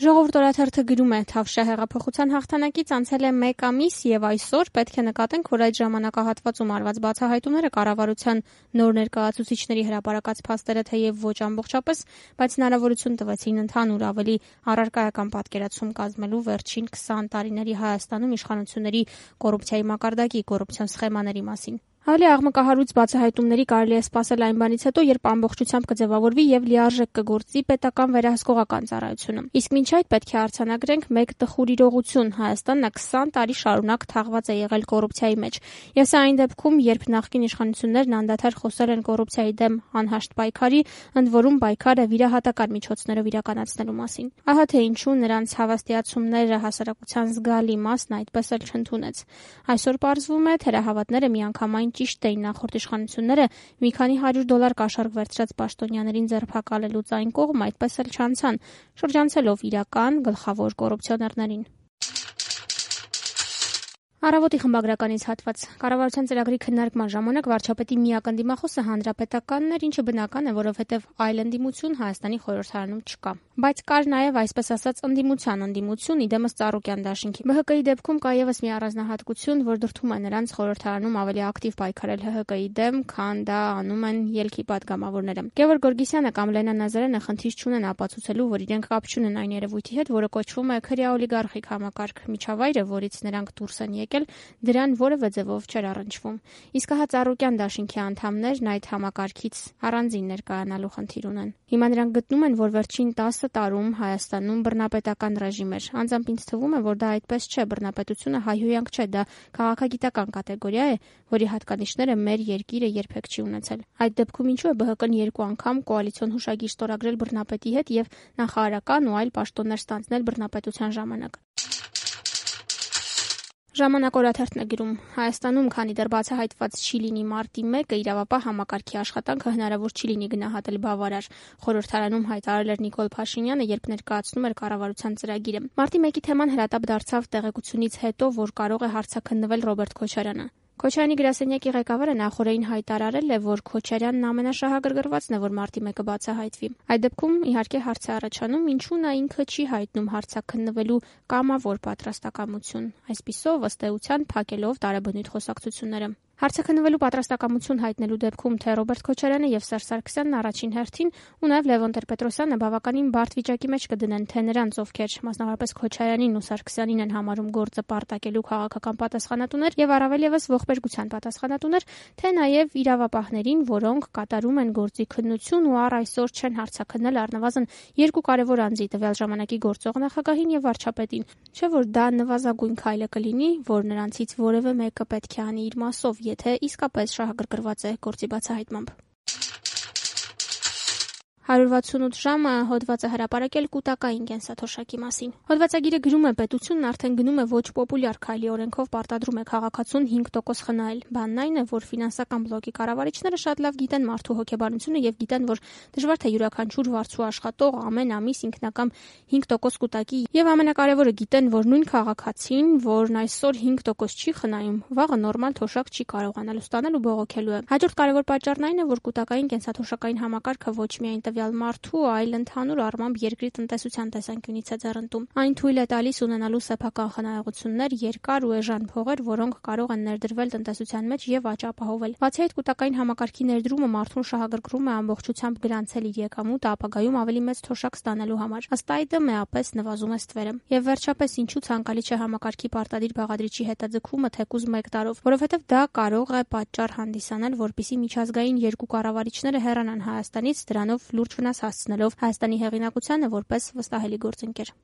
Ժողովուրդ օրաթերթը գրում է. Թավշյա հեղափոխության հաղթանակից անցել է 1 ամիս եւ այսօր պետք է նկատենք, որ այդ ժամանակահատվածում արված բացահայտումները կառավարության նոր ներկայացուցիչների հրապարակած փաստերը թեև ոչ ամբողջապես, բայց հնարավորություն տվեցին ընդհանուր ավելի առարկայական պատկերացում կազմելու վերջին 20 տարիների Հայաստանում իշխանությունների կոռուպցիայի մակարդակի, կոռուպցիոն սխեմաների մասին։ Ավելի աղմկահարույց բացահայտումների կարելի է սպասել այն բանից հետո, երբ ամբողջությամբ կձևավորվի եւ լիարժեք կգործի պետական վերահսկողական ծառայությունը։ Իսկ մինչ այդ պետք է արձանագրենք մեկ տխուր իրողություն. Հայաստանն 20 տարի շարունակ թաղված է եղել կոռուպցիայի մեջ։ Եվ սա այն դեպքում, երբ նախկին իշխանություններն անդադար խոսել են կոռուպցիայի դեմ անհաշտ պայքարի, ընդ որում պայքարը վիրահատական միջոցներով իրականացնելու մասին։ Ահա թե ինչու նրանց հավաստիացումները հասարակության զգալի մասն այդպես էլ չընդունեց։ Այսօր պարզվում է, թերահավատները միանգամայն ճիշտ էին նախորդ իշխանությունները մի քանի $100 կաշառք վերցրած պաշտոնյաներին ձերբակալելուց այն կողմ այդպես էլ չանցան, շրջանցելով իրական գլխավոր կոռուպցիոներներին։ Առավոտի խմբագրականից հատված. Կառավարության ծրագրի քննարկման ժամանակ վարչապետի միակ ընդդիմախոսը հանրապետականն էր, ինչը բնական է, որովհետև այլ ընդդիմություն Հայաստանի խորհրդարանում չկա։ Բայց կար նաև այսպես ասած ընդդիմություն, իդեմս Ծառուկյան դաշինքի։ ԲՀԿ-ի դեպքում կա ևս մի առանձնահատկություն, որ դրդում է նրանց խորհրդարանում ավելի ակտիվ պայքարել ՀՀԿ-ի դեմ, քան դա անում են ելքի պատգամավորները։ Գևորգ Գորգիսյանը կամ Լենա Նազարյանը խնդիր չունեն ապացուցելու, որ իրենք կապ չունեն այն երևույթի հետ, որը կոչվում է քրեաօլիգարխիկ համակարգ, միջավայրը, որից նրանք դուրս են եկել, դրան որևէ ձևով չէր առնչվում։ Իսկ հա Ծառուկյան դաշինքի անդամներն այդ համակարգից առանձին ներկայանալու խնդիր ունեն։ Հիմա նրանք գտնում են, որ վերջին 10 տարում Հայաստանում բռնապետական ռեժիմ էր։ Անձամբ ինձ թվում է, որ դա այդպես չէ, բռնապետությունը հայհոյանք չէ, դա քաղաքագիտական կատեգորիա է, որի հատկանիշները մեր երկիրը երբեք չի ունեցել։ Այդ դեպքում ինչու է ԲՀԿ-ն 2 անգամ կոալիցիոն հուշագիր ստորագրել բռնապետի հետ եւ նախարարական ու այլ պաշտոններ ստանձնել բռնապետության ժամանակ։ Ժամանակ օրաթերթն է գրում. Հայաստանում, քանի դեռ բացահայտված չի լինի մարտի 1-ը, իրավապահ համակարգի աշխատանքը հնարավոր չի լինի գնահատել բավարար։ Խորհրդարանում հայտարարել էր Նիկոլ Փաշինյանը, երբ ներկայացնում էր կառավարության ծրագիրը։ Մարտի 1-ի թեման հրատապ դարձավ տեղեկությունից հետո, որ կարող է հարցաքննվել Ռոբերտ Քոչարյանը։ Քոչարյանի գրասենյակի ղեկավարը նախորդին հայտարարել է, որ Քոչարյանն ամենաշահագրգռվածն է, որ մարտի 1-ը բացահայտվի։ Այդ դեպքում իհարկե հարց է առաջանում, ինչու նա ինքը չի հայտնում հարցաքննվելու կամավոր պատրաստակամություն, այսպիսով ըստ էության փակելով տարեբնույթ խոսակցությունները։ Հարցաքննվելու պատրաստակամություն հայտնելու դեպքում թե Ռոբերտ Քոչարյանը եւ Սերժ Սարգսյանն առաջին հերթին ու նաեւ Լևոն Տեր-Պետրոսյանը բավականին բարդ վիճակի մեջ կդնեն թե նրանց, ովքեր մասնավորապես Քոչարյանին ու Սարգսյանին են համարում գործը պարտակելու քաղաքական պատասխանատուներ եւ առավել եւս ողբերգության պատասխանատուներ, թե նաեւ իրավապահներին, որոնք կատարում են գործի քննություն ու առ այսօր չեն հարցաքննել առնվազն 2 կարևոր անձի՝ տվյալ ժամանակի գործող նախագահին եւ վարչապետին։ Չէ՞ որ դա նվազագույն քայլը կլինի, որ նրանցից որևէ մեկը պետք է անի իր մասով, եթե իսկապես շահագրգռված է գործի բացահայտմամբ։ 168 ժամը հոդված է հրապարակել կൂട്ടակային կենսաթոշակի մասին։ Հոդվածագիրը գրում է. պետությունն արդեն գնում է ոչ պոպուլյար քայլի, օրենքով պարտադրում է քաղաքացուն 5% խնայել։ Բանն այն է, որ ֆինանսական բլոկի կառավարիչները շատ լավ գիտեն մարդու հոգեբանությունը եւ գիտեն, որ դժվար թե յուրաքանչյուր վարձու աշխատող ամեն ամիս ինքնակամ 5% կൂട്ടակի եւ ամենակարևորը գիտեն, որ նույն քաղաքացին, որն այսօր 5% չի խնայում, վաղը նորմալ թոշակ չի կարողանալու ստանել ու բողոքելու է։ Հաջորդ կարևոր պատճառն այն է, որ կൂട്ടակային կենսաթոշակային համակարգը ոչ միայն տվյալ մարդու, այլ ընդհանուր առմամբ երկրի տնտեսության տեսանկյունից է ձեռնտում։ Այն թույլ է տալիս ունենալու սեփական խնայողություններ, երկար ու էժան փողեր, որոնք կարող են ներդրվել տնտեսության մեջ եւ աճ ապահովել։ Բացի այդ, կൂട്ടակային համակարգի ներդրումը մարդուն շահագրգռում է ամբողջությամբ գրանցել իր եկամուտը ապագայում ավելի մեծ թոշակ ստանալու համար։ Ըստ այդմ էապես նվազում է ստվերը։ Եվ վերջապես, ինչու ցանկալի չէ համակարգի պարտադիր բաղադրիչի հետաձգումը թեկուզ 1 տարով, որովհետեւ դա կարող է պատճառ հանդիսանալ, որպիսի միջազգային երկու կառավարիչները հեռանան Հայաստանից, դրանով լուրջ վնաս հասցնելով Հայաստանի հեղինակությանը որպես վստահելի գործընկեր։